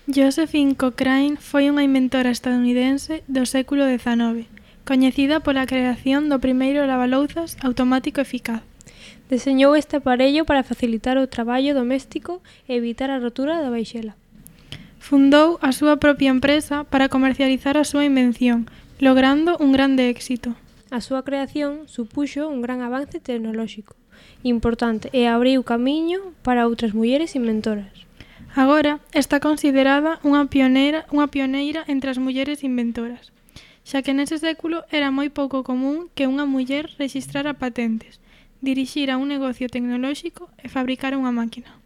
Josephine Cochrane foi unha inventora estadounidense do século XIX, coñecida pola creación do primeiro lavalouzas automático eficaz. Deseñou este aparello para facilitar o traballo doméstico e evitar a rotura da vaixela. Fundou a súa propia empresa para comercializar a súa invención, logrando un grande éxito. A súa creación supuxo un gran avance tecnolóxico importante e abriu camiño para outras mulleres inventoras. Agora está considerada unha pioneira entre as mulleres inventoras, xa que nese século era moi pouco común que unha muller rexistrara patentes, dirixira un negocio tecnolóxico e fabricara unha máquina.